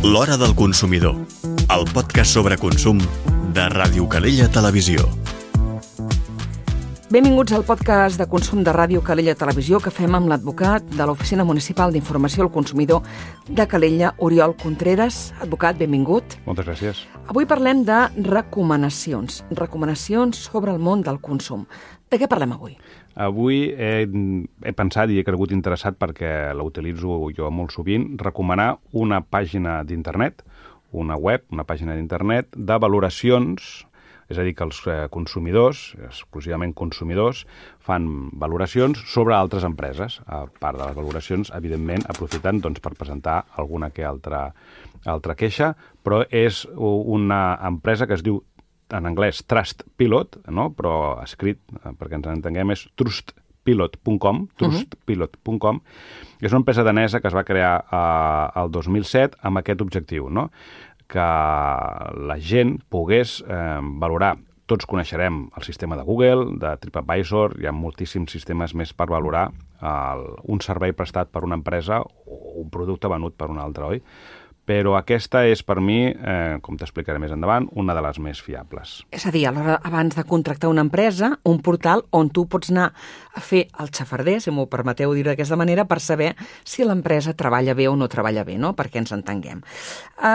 L'Hora del Consumidor, el podcast sobre consum de Ràdio Calella Televisió. Benvinguts al podcast de consum de Ràdio Calella Televisió que fem amb l'advocat de l'Oficina Municipal d'Informació al Consumidor de Calella, Oriol Contreras. Advocat, benvingut. Moltes gràcies. Avui parlem de recomanacions sobre el món del consum. De què parlem avui? Avui he pensat i he cregut interessat, perquè l'utilitzo jo molt sovint, recomanar una pàgina d'internet, una web, una pàgina d'internet de valoracions, és a dir, que els consumidors, exclusivament consumidors, fan valoracions sobre altres empreses. A part de les valoracions, evidentment, aprofitant per presentar alguna que altra queixa, però és una empresa que es diu en anglès Trustpilot, no? Però escrit, perquè ens entenguem, és trustpilot.com, trustpilot.com. És una empresa danesa que es va crear el 2007 amb aquest objectiu, no? Que la gent pogués valorar. Tots coneixerem el sistema de Google, de TripAdvisor, hi ha moltíssims sistemes més per valorar un servei prestat per una empresa o un producte venut per una altra, oi? Però aquesta és, per mi, com t'explicaré més endavant, una de les més fiables. És a dir, alhora, abans de contractar una empresa, un portal on tu pots anar a fer el xafarder, si m'ho permeteu dir d'aquesta manera, per saber si l'empresa treballa bé o no treballa bé, no? Perquè ens entenguem.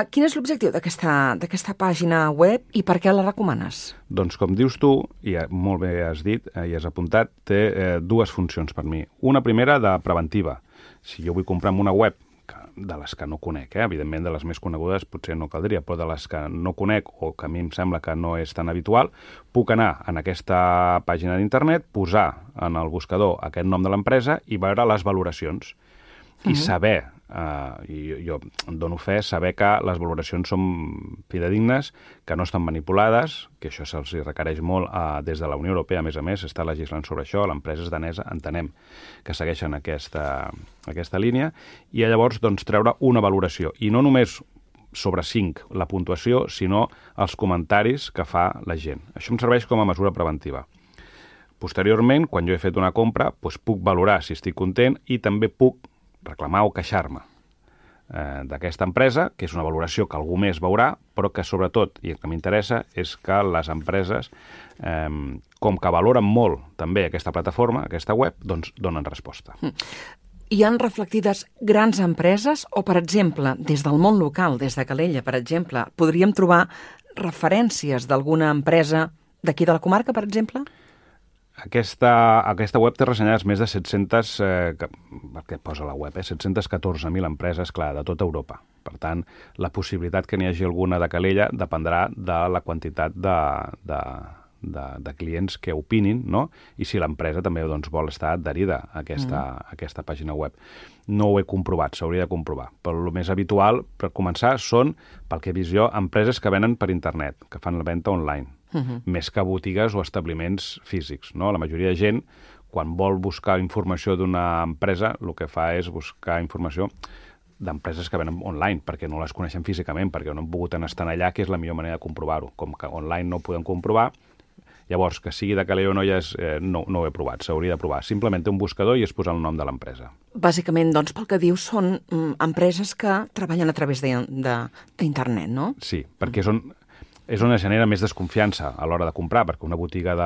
Quin és l'objectiu d'aquesta pàgina web i per què la recomanes? Doncs, com dius tu, i molt bé has dit i has apuntat, té dues funcions per mi. Una primera de preventiva. Si jo vull comprar en una web de les que no conec, evidentment de les més conegudes potser no caldria, però de les que no conec o que a mi em sembla que no és tan habitual, puc anar en aquesta pàgina d'internet, posar en el buscador aquest nom de l'empresa i veure les valoracions i saber, i jo em dono fe, saber que les valoracions són fidedignes, que no estan manipulades, que això se'ls requereix molt des de la Unió Europea, a més, està legislant sobre això, l'empresa és danesa, entenem que segueixen aquesta línia, i llavors treure una valoració, i no només sobre 5 la puntuació, sinó els comentaris que fa la gent. Això em serveix com a mesura preventiva. Posteriorment, quan jo he fet una compra, puc valorar si estic content i també puc reclamar o queixar-me d'aquesta empresa, que és una valoració que algú més veurà, però que sobretot, i el que m'interessa, és que les empreses, com que valoren molt també aquesta plataforma, aquesta web, doncs donen resposta. Hi han reflectides grans empreses o, per exemple, des del món local, des de Calella, per exemple, podríem trobar referències d'alguna empresa d'aquí de la comarca, per exemple? Aquesta web té ressenyades més de 700, perquè posa la web, 714.000 empreses, clar, de tota Europa. Per tant, la possibilitat que n'hi hagi alguna de Calella dependrà de la quantitat de clients que opinin, no? I si l'empresa també vol estar adherida a aquesta pàgina web. No ho he comprovat, s'hauria de comprovar. Però el més habitual, per començar, són, pel que he vist jo, empreses que venen per internet, que fan la venda online. Més que botigues o establiments físics, no? La majoria de gent, quan vol buscar informació d'una empresa, el que fa és buscar informació d'empreses que venen online, perquè no les coneixen físicament, perquè no han pogut estar allà, que és la millor manera de comprovar-ho. Com que online no ho podem comprovar, llavors, que sigui de Calella o no, no ho he provat, s'hauria de provar. Simplement té un buscador i es posa el nom de l'empresa. Bàsicament, doncs, pel que dius, són empreses que treballen a través d'internet, no? Sí, perquè és on es genera més desconfiança a l'hora de comprar, perquè una botiga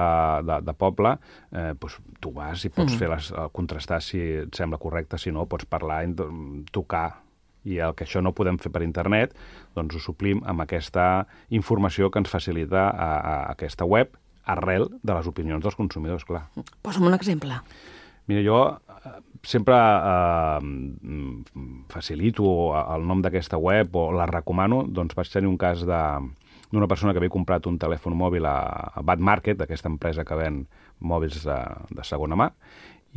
de poble, tu vas i pots contrastar si et sembla correcte, si no, pots parlar, tocar, i el que això no podem fer per internet, doncs ho suplim amb aquesta informació que ens facilita a aquesta web, arrel de les opinions dels consumidors, clar. Posa'm un exemple. Mira, jo sempre facilito el nom d'aquesta web o la recomano, doncs vaig tenir un cas d'una persona que havia comprat un telèfon mòbil a Bad Market, aquesta empresa que ven mòbils de segona mà,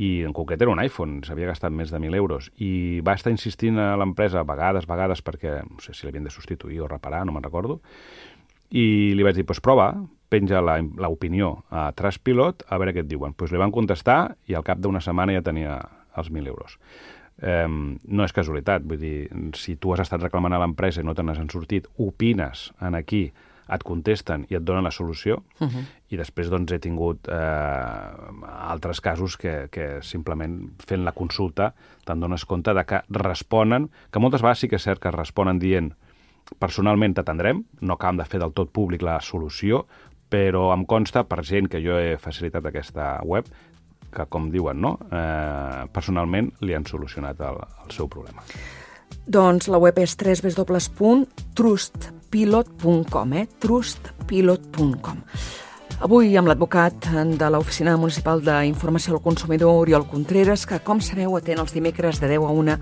i en concret era un iPhone, s'havia gastat més de 1.000 euros, i va estar insistint a l'empresa vegades, perquè no sé si l'havien de substituir o reparar, no me'n recordo, i li vaig dir, prova, penja l'opinió a Trustpilot, a veure què et diuen. Li van contestar i al cap d'una setmana ja tenia els 1.000 euros. No és casualitat, vull dir, si tu has estat reclamant a l'empresa i no te n'has sortit, opines en aquí, et contesten i et donen la solució, i després doncs, he tingut altres casos que simplement fent la consulta te'n dones compte de que responen, que moltes vegades sí que és cert que responen dient personalment t'atendrem, no acabem de fer del tot públic la solució, però em consta, per gent que jo he facilitat aquesta web, que, com diuen, no? Personalment li han solucionat el seu problema. Doncs la web és www.trustpilot.com, trustpilot.com. Avui amb l'advocat de l'Oficina Municipal d'Informació al Consumidor, Oriol Contreras, que, com sabeu, atén els dimecres de 10 a 1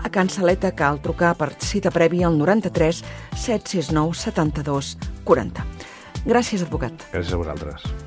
a Can Saleta. Cal trucar per cita prèvia al 93 769 72 40. Gràcies, advocat. Gràcies a vosaltres.